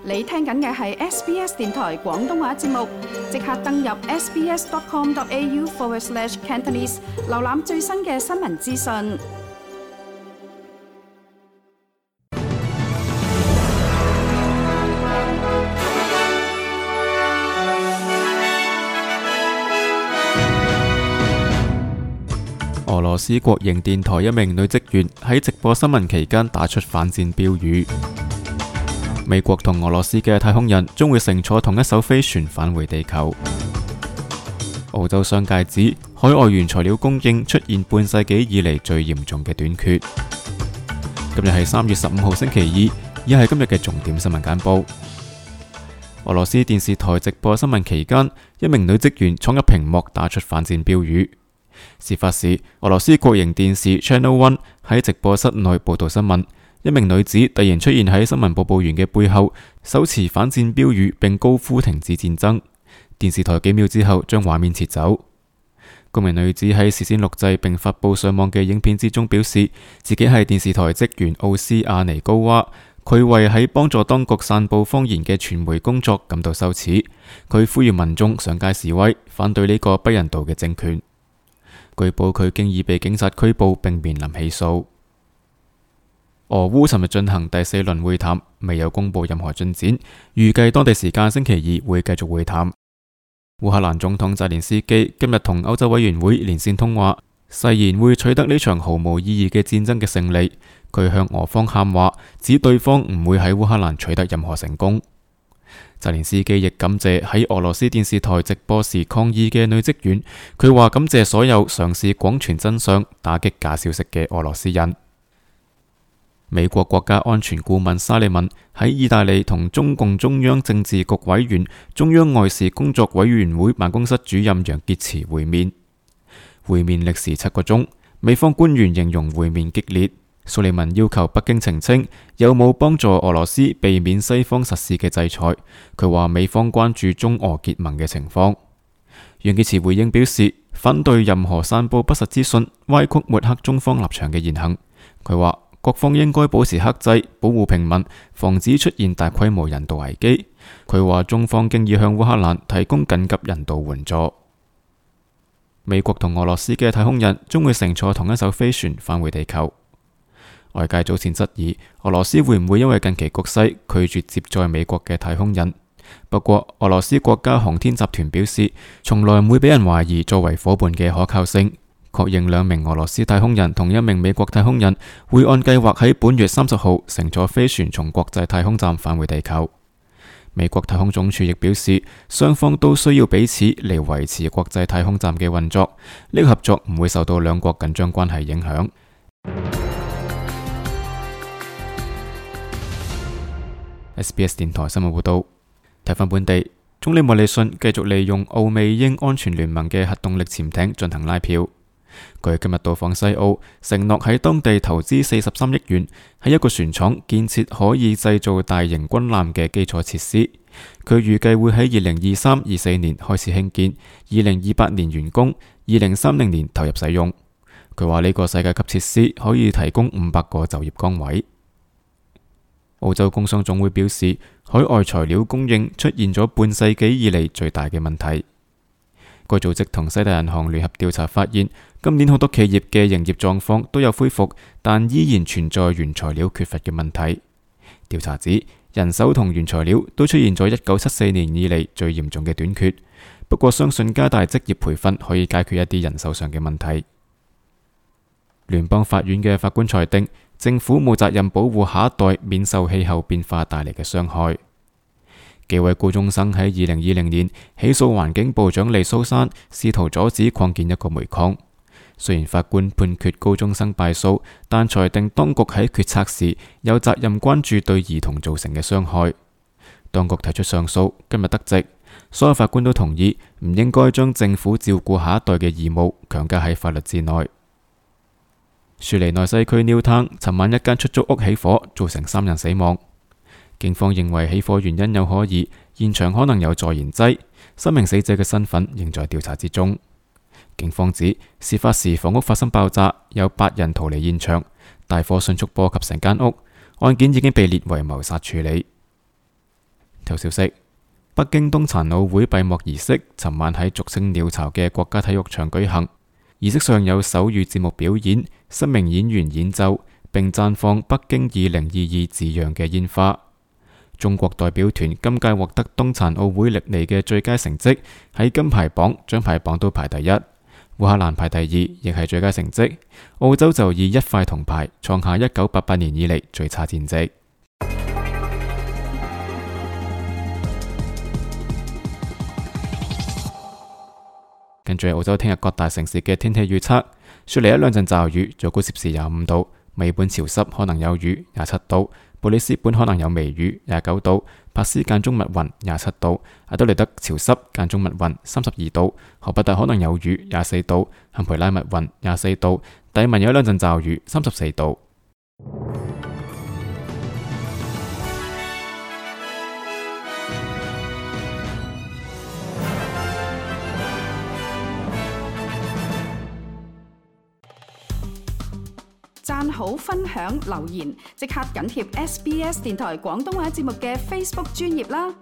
你聽緊嘅係 SBS 電台廣東話節目，即刻登入 sbs.com.au/Cantonese 瀏覽最新嘅新聞資訊。俄羅斯國營電台一名女職員喺直播新聞期間打出反戰標語。美國同俄羅斯嘅太空人將會乘坐同一艘飛船返回地球。澳洲商界指海外原材料供應出現半世紀以嚟最嚴重嘅短缺。今日係3月15號星期二，以下係今日嘅重點新聞簡報。俄羅斯電視台直播新聞期間，一名女職員闖入屏幕打出反戰標語。事發時，俄羅斯國營電視 Channel One 喺直播室內報道新聞，一名女子突然出現喺新聞播報員嘅背後，手持反戰標語並高呼停止戰爭。電視台幾秒之後將畫面撤走。嗰名女子喺事先錄製並發佈上網嘅影片之中表示，自己係電視台職員奧斯亞尼高娃，佢為喺幫助當局散佈謊言嘅傳媒工作感到羞恥。佢呼籲民眾上街示威，反對呢個不人道嘅政權。據報佢經已被警察拘捕並面臨起訴。俄烏尋日進行第4輪會談，未有公布任何進展，預計當地時間星期2會繼續會談。烏克蘭總統澤連斯基今日同歐洲委員會連線通話，誓言會取得呢場毫無意義嘅戰爭嘅勝利。佢向俄方喊話，指對方唔會喺烏克蘭取得任何成功。澤連斯基亦感謝喺俄羅斯電視台直播時抗議嘅女職員，佢話感謝所有嘗試廣傳真相、打擊假消息嘅俄羅斯人。美國國家安全顧問沙利文喺意大利同中共中央政治局委員、中央外事工作委員會辦公室主任楊潔篪會面。會面歷時7個鐘，美方官員形容會面激烈。蘇利文要求北京澄清有冇幫助俄羅斯避免西方實施嘅制裁。佢話美方關注中俄結盟嘅情況。楊潔篪回應表示，反對任何散佈不實資訊、歪曲抹黑中方立場嘅言行。佢話各方應該保持克制，保護平民，防止出現大規模人道危機。佢話中方經已向烏克蘭提供緊急人道援助。美國同俄羅斯嘅太空人將會乘坐同一艘飛船返回地球。外界早前質疑俄羅斯會唔會因為近期局勢拒絕接載美國嘅太空人。不過俄羅斯國家航天集團表示，從來唔會俾人懷疑作為夥伴嘅可靠性，確認2名俄羅斯太空人同1名美國太空人會按計劃喺本月30號乘坐飛船從國際太空站返回地球。美國太空總署亦表示，雙方都需要彼此嚟維持國際太空站嘅運作，呢個合作唔會受到兩國緊張關係影響。SBS 電台新聞報道，睇返本地，總理莫里遜繼續利用澳美英安全聯盟嘅核動力潛艇進行拉票。佢今日到訪西澳，承諾喺當地投資43億元，喺一個船廠建設可以製造大型軍艦嘅基礎設施。佢預計會喺2023-24年開始興建，2028年完工，2030年投入使用。佢話呢個世界級設施可以提供500個就業崗位。澳洲工商總會表示，海外材料供應出現咗半世紀以嚟最大嘅問題。該組織同西大銀行聯合調查發現，今年好多企業嘅營業狀況都有恢復，但依然存在原材料缺乏嘅問題。調查指，人手同原材料都出現咗1974年以嚟最嚴重嘅短缺。不過相信加大職業培訓可以解決一啲人手上嘅問題。聯邦法院嘅法官裁定，政府冇責任保護下一代免受氣候變化帶嚟嘅傷害。幾位高中生喺2020年起訴環境部長利蘇珊，試圖阻止擴建一個煤礦。雖然法官判決高中生敗訴，但裁定當局喺決策時有責任關注對兒童造成嘅傷害。當局提出上訴，今日得直，所有法官都同意唔應該將政府照顧下一代嘅義務強加喺法律之內。雪梨內西區 Newtown 尋晚一間出租屋起火，造成3人死亡。警方認為起火原因有可疑，現場可能有助燃劑，3名死者嘅身份仍在調查之中。警方指事發時房屋發生爆炸，有8人逃離現場，大火迅速波及成間屋，案件已經被列為謀殺處理。頭消息：北京冬殘奧會閉幕儀式尋晚喺俗稱鳥巢嘅國家體育場舉行。儀式上有手語節目表演、10名演員演奏，並綻放北京2022字樣嘅煙花。中國代表團今屆獲得冬殘奧會歷嚟嘅最佳成績，喺金牌榜、獎牌榜都排第一。烏克蘭排第二，亦係最佳成績。澳洲就以1塊銅牌，創下1988年以嚟最差戰績。跟住澳洲聽日各大城市嘅天氣預測：雪梨一兩陣驟雨，最高攝氏25度；美本潮濕，可能有雨，27度；布里斯本可能有微雨，29度；珀斯間中密雲，27度；阿德利德潮濕間中密雲，32度；荷伯特可能有雨，24度；坎培拉密雲，24度；達爾文有一兩陣驟雨，34度。讚好、分享、留言，即刻緊貼SBS 電台廣東話節目嘅 Facebook 專頁啦！